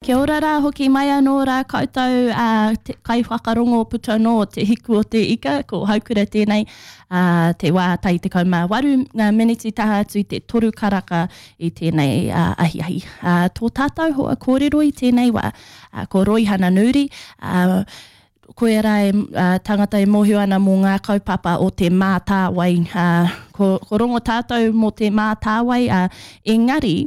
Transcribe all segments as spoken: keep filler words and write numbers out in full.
Kia ora rā, hoki mai anō rā koutou uh, te kaiwhakarongo puta nō te hiku o te ika, ko Haukura tēnei, uh, te wā tai tekau mā waru ngā miniti taha atu i te toru karaka i tēnei uh, ahiahi. Uh, tō tātou hoa kōrero i tēnei wā, uh, ko Roihana Nuri, uh, koe rā e uh, tangata e mōhio ana mō ngā kaupapa o te Mātāwai. Uh, ko, ko rongo tātou mō te Mātāwai, uh, engari,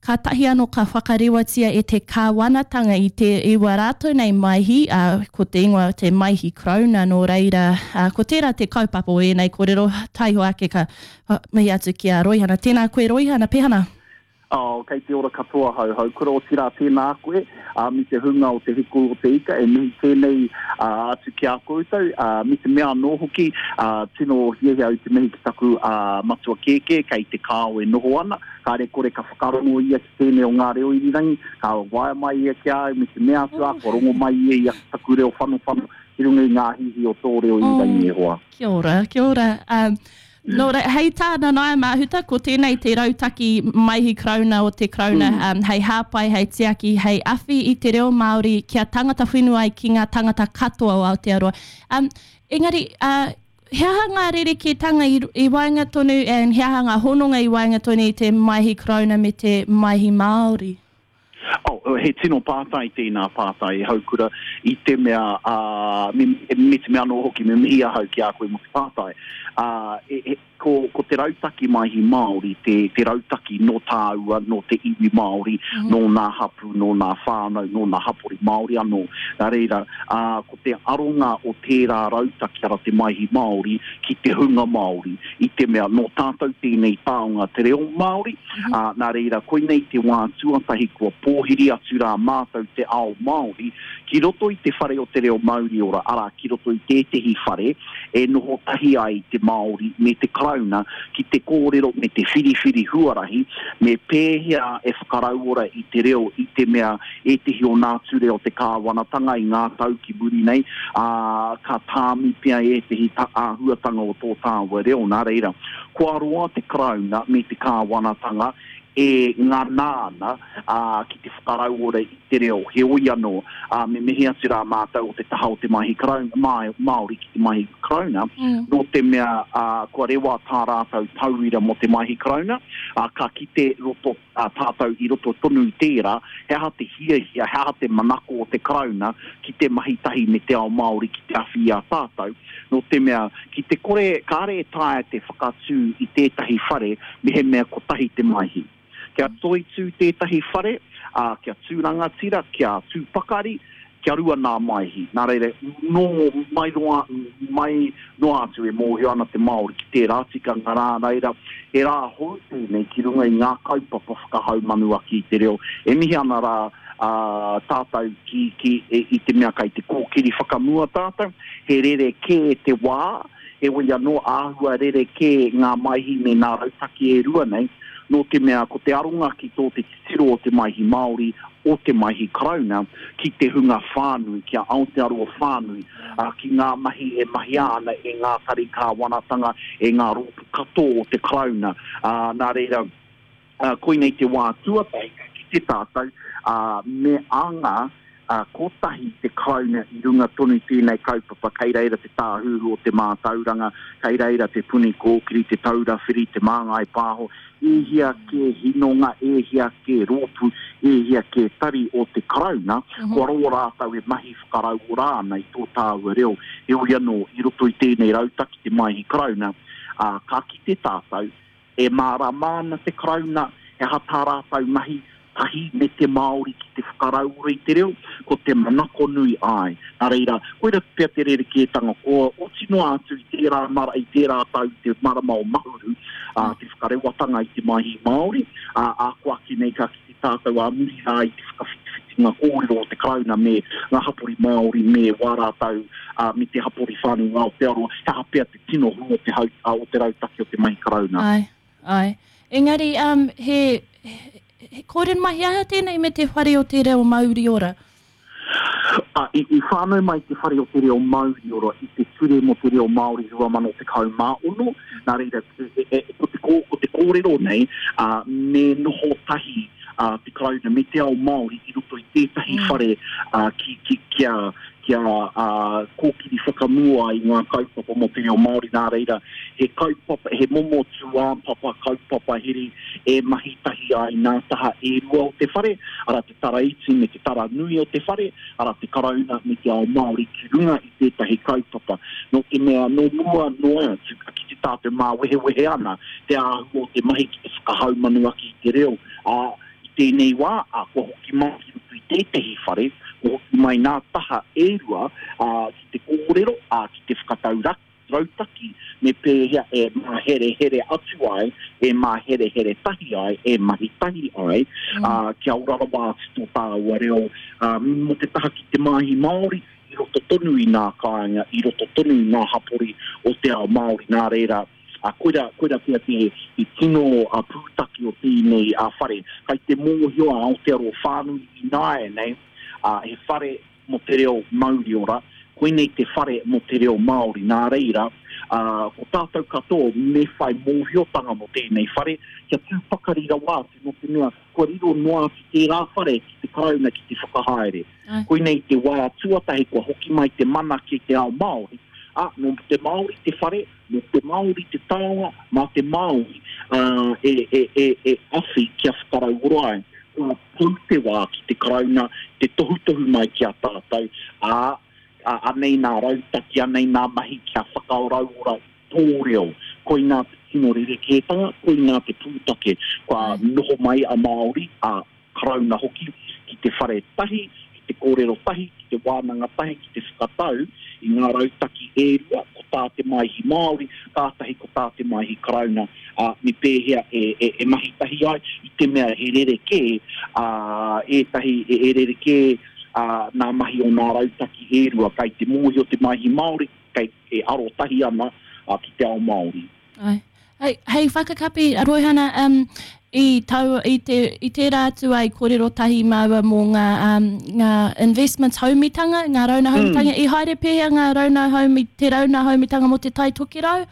ka tahi anō ka whakarewatia e te kāwanatanga i te i wā rātou nei maihi, uh, ko te ingoa te Maihi Karauna nō reira, uh, ko tērā te kaupapa o ēnei kōrero, taiho ake ka uh, mihi atu ki a Roihana. Tēnā koe Roihana, pehana? Oh, kei te ora katoa hau hau. Kura o tira tēnā koe, uh, mi te hunga o te hiku o te ika, e mihi tēnei uh, atu ki a koutou, uh, mi te mea anō hoki, uh, tino hiahia au te mihi ki taku uh, matua kēkē, kei te kāo e noho ana, kāre kore ka whakarongo ia ki tēnei o ngā reo irirangi, ka waea mai ia ki a au, mi te mea atu a, kua rongo mai ia i taku reo whanowhano, ki runga i ngā hihi o tō reo irirangi e hoa. Kia ora, kia ora. Um, Nō reira, hei tā Nanaia Mahuta, ko tēnei te rautaki Maihi Karauna o te Karauna, mm. um, hei hāpai, hei tiaki, hei awhi i te reo Māori kia tangata whenua ai ki ngā tangata katoa o Aotearoa. Um, engari, uh, he aha ngā rerekētanga i, i waenga tonu, and he aha ngā hononga i waenga tonu i te Maihi Karauna me te Maihi Māori? Oh, he tino pātai tēnā pātai e Haukura i te mea, uh, me, me te mea anō hoki, me mihi ahau ki a koe mō te pātai. Uh, e, e, ko, ko te rautaki Maihi Māori, te, te rautaki nō tāua, nō te iwi Māori, mm -hmm. nō nā hapu, nō nā whānau, nō nā hapori Māori anō. Nā reira, uh, ko te aronga o tērā rautaki ara te Maihi Māori ki te hunga Māori, i te mea nō tātou tēnei taonga te reo Māori, mm -hmm. uh, nā reira, koinei te wā tuatahi kua pōhiri atu rā mātou te ao Māori ki roto i te whare o te reo Mauriora, arā ki roto i tētehi whare e noho tahi ai te Māori me te Karauna ki te kōrero me te whiriwhiri huarahi, me pēhea e whakarauora i te reo i te mea ētehi o nā ture o te kāwanatanga i ngā tau ki muri nei, ā, ka tāmi pea ētehi ta, āhuatanga o tō tāua reo. Nā reira, kua roa te Karauna me te kāwanatanga e ngā nāna uh, ki te whakarauora i te reo. Heoi anō, uh, me mihi atu rā mātou o te taha o te Maihi Karauna, Māori ki te Maihi Karauna, mm. nō te mea uh, kua rewa tā rātou tauira mō te Maihi Karauna, uh, ka kite roto, uh, tātou i roto tonu i tērā, he aha te hiahia, he aha te manako o te Karauna ki te mahi tahi me te ao Māori ki te awhi i a tātou. Nō te mea, ki te kore, kāre e taea te whakatū i tētahi whare, me he mea kotahi te maihi. Kia toitū tētahi whare, uh, kia tū rangatira, kia tū pakari, kia rua nā maihi. Nā reira, nō mai roa, mai noa atu e mōhio ana te Māori ki tērā tikanga rā reira, he rā hou tēnei ki runga i ngā kaupapa whakahaumanu ake i te reo. E mihi ana rā uh, tātou ki, ki, e, i te mea kai te kōkiri whakamua tātou, he rere kē te wā, heoi anō āhua rere kē ngā maihi me ngā rautaki e rua nei, nō te mea ko te aronga ki tō te titiro o te Maihi Māori, o te Maihi Karauna, ki te hunga whānui, ki a Aotearoa whānui, uh, ki ngā mahi e mahia ana e ngā tari kāwanatanga, e ngā rōpū katoa o te Karauna. Uh, nā reira, uh, koinei te wā tuatahi ki te tātou, uh, me anga uh, kotahi te Karauna i runga tonu tēnei kaupapa, kei reira te tāhuhu o te mātauranga, kei reira te Puni Kōkiri, te Taura Whiri, te Māngai Pāho, e hia ke hinonga, e hia ke rōpū, e hia ke tari o te Karauna, mm -hmm. kua roa rātou e mahi whakarauora ana i tō tāua reo. Heoi anō, i roto i tēnei rautaki te Maihi Karauna, uh, ka kite tātou, e mārama ana te Karauna, he aha tā rātou mahi, tahi me te Māori ki te whakarauora i te reo, ko te manako nui ai. Nā reira, koira pea te rerekētanga ko oti noa atu i tērā mara, i tērā tau te marama o Mahuru, uh, te whakarewatanga i te Maihi Māori, uh, a ko ake nei ka kite tātou a muri rā i te whakawhitiwhitinga kōrero o te Karauna me ngā hapori Māori me wā rātou, uh, me te hapori whānui o Aotearoa, he aha pea te tino hua o te, hau, uh, o te rautaki o te Maihi Karauna. Ai, ai. Engari, um, he, he He kōrero mai aha tēnei me te whare o te reo Mauriora? Uh, i, i whānau mai te whare o te reo Mauriora i te ture mō te reo Māori rua mano tekau mā ono. Nā reira, e, e, ko, te, ko te kōrero nei, uh, me noho tahi a te Karauna me te ao Māori i roto i tētahi mm. whare uh, ki, ki, kia, kia uh, kōkiri whakamua i ngā kaupapa mō te reo Māori. Nā reira, he kaupapa, he momo tūāpapa kaupapa here e mahi tahi ai nā taha e rua o te whare, ara te tara iti me te tara nui o te whare, ara te Karauna me te ao Māori ki runga i tētahi kaupapa. Nō te mea, nō mua noa atu, ki te tātou māwehewehe ana, te āhua o te mahi ki te whakahaumanu ake i te reo, ā, i tēnei wā, ā, kua hoki mai ki roto i tētahi whare, kua hoki mai nā taha e rua, ā, ki te kōrero, ā, ki te whakatau rautaki, me pēhea e māherehere atu ai, e māherehere tahi ai, e mahi tahi ai, mm. ā, kia ora rawa atu tō tāua reo, ā, mō te taha ki te Maihi Māori, i roto tonu i ngā kāinga, i roto tonu i ngā hapori o te ao Māori. Nā reira, a koira, koira pea te, te tino a pūtake o tēnei a whare. Kai te mōhio a Aotearoa whānui ināianei, a, he whare mō te reo mauriora, koinei te whare mō te reo Māori. Nā reira, a, ko tātou katoa me whai mōhiotanga mō tēnei whare, kia tū pakari rawa atu nō te mea kua riro noa atu tērā whare ki te Karauna ki te whakahaere. Ai. Koinei te wā tuatahi kua hoki mai te mana ki te ao Māori, ā, nō te Māori te whare, nō te Māori te taonga, mā te Māori uh, e, e, e, e awhi kia whakarauora ai. Kua pau te wā ki te Karauna, te tohutohu mai ki a tātou, ā, ā, anei nā rautaki, anei nā mahi kia whakarauora i tō reo. Koinā te tino rerekētanga, koinā te pūtake. Kua noho mai a Māori, a Karauna hoki, ki te whare tahi, ki te kōrero tahi, ki te wānanga tahi, ki te whakatau i ngā rautaki e rua, ko tā te Maihi Māori, kātahi ko tā te Maihi Karauna, ā, me pēhea e, e, e mahi tahi ai, i te mea he rerekē, ā, ētahi e, e rerekē, ā, nā mahi o ngā rautaki e rua, kai te mōhio te Maihi Māori, kei e arotahi ana ā, ki te ao Māori. Ai. Hei, hei whakakapi, Roihana, um, i, tau, i, te, i tērā atu ai kōrero tahi māua mō ngā, um, ngā investments haumitanga, ngā rauna haumitanga. Mm. I haere pēhea ngā rauna haumi, te rauna haumitanga mō te Tai Tokerau?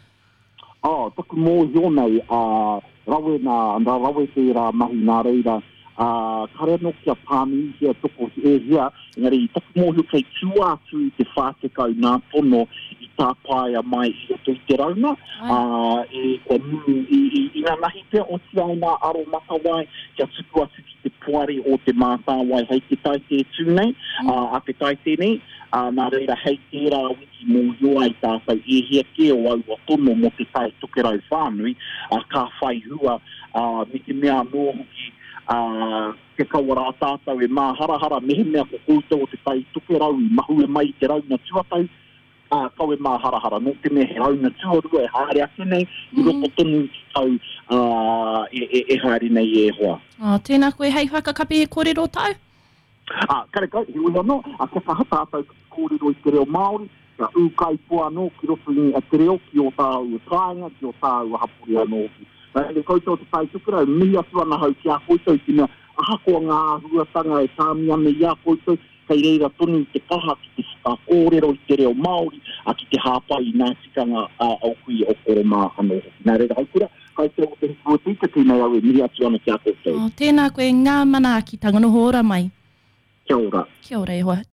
Oh, taku mōhio nei, uh, rawe nā, nā rawe tērā mahi nā reira, uh, kare anō kia pānuihia toko e hia, engari i taku mōhio kei tua atu i te whā tekau nā tono i tāpaea mai i roto i te rauna, Ai. uh, e, kua mū, i, i, i ngā nahi pea o tia ai nā aro matawai kia tuku atu ki te poari o te mātāwai hei te taite tū nei, Mm. uh, a te taite nei, uh, nā reira hei tērā wiki mōhio ai tātou e hia kē o aua tono mō te Tai Tokerau whānui, uh, ka whai hua, uh, me te mea anō hoki, uh, kia kaua rā tātou e māharahara, mehemea ko koutou o te Tai Tokerau i mahue mai i te rauna tuatahi, ā, kau e māharahara, nō te mea he rauna tuarua e haere ake nei, i roto tonu i te tau uh, e, e, e haere nei e hoa. Oh, tēnā koe, hei whakakapi he kōrero tau? Ā, karekau, heoi anō, a kia kaha tātou ki te kōrero i te reo Māori, kia ūkaipoa anō ki roto i te reo, ki o tāua kāinga, ki o tāua hapori anō hoki. Nā reira koutou o te Tai Tokerau, mihi atu ana hau ki a koutou i te mea ahakoa ngā āhuatanga e tāmi ana i a koutou, kei reira tonu te kaha ki te whakakōrero i te reo Māori, a ki te hāpai i ngā tikanga a, o kui o koro mā anō hoki. Nā reira, haukura, koutou o te hiku o te ika, tēnei au e mihi atu ana ki a koutou. Oh, tēnā koe, ngā manaakitanga, noho ora mai. Kia ora. Kia ora e hoa.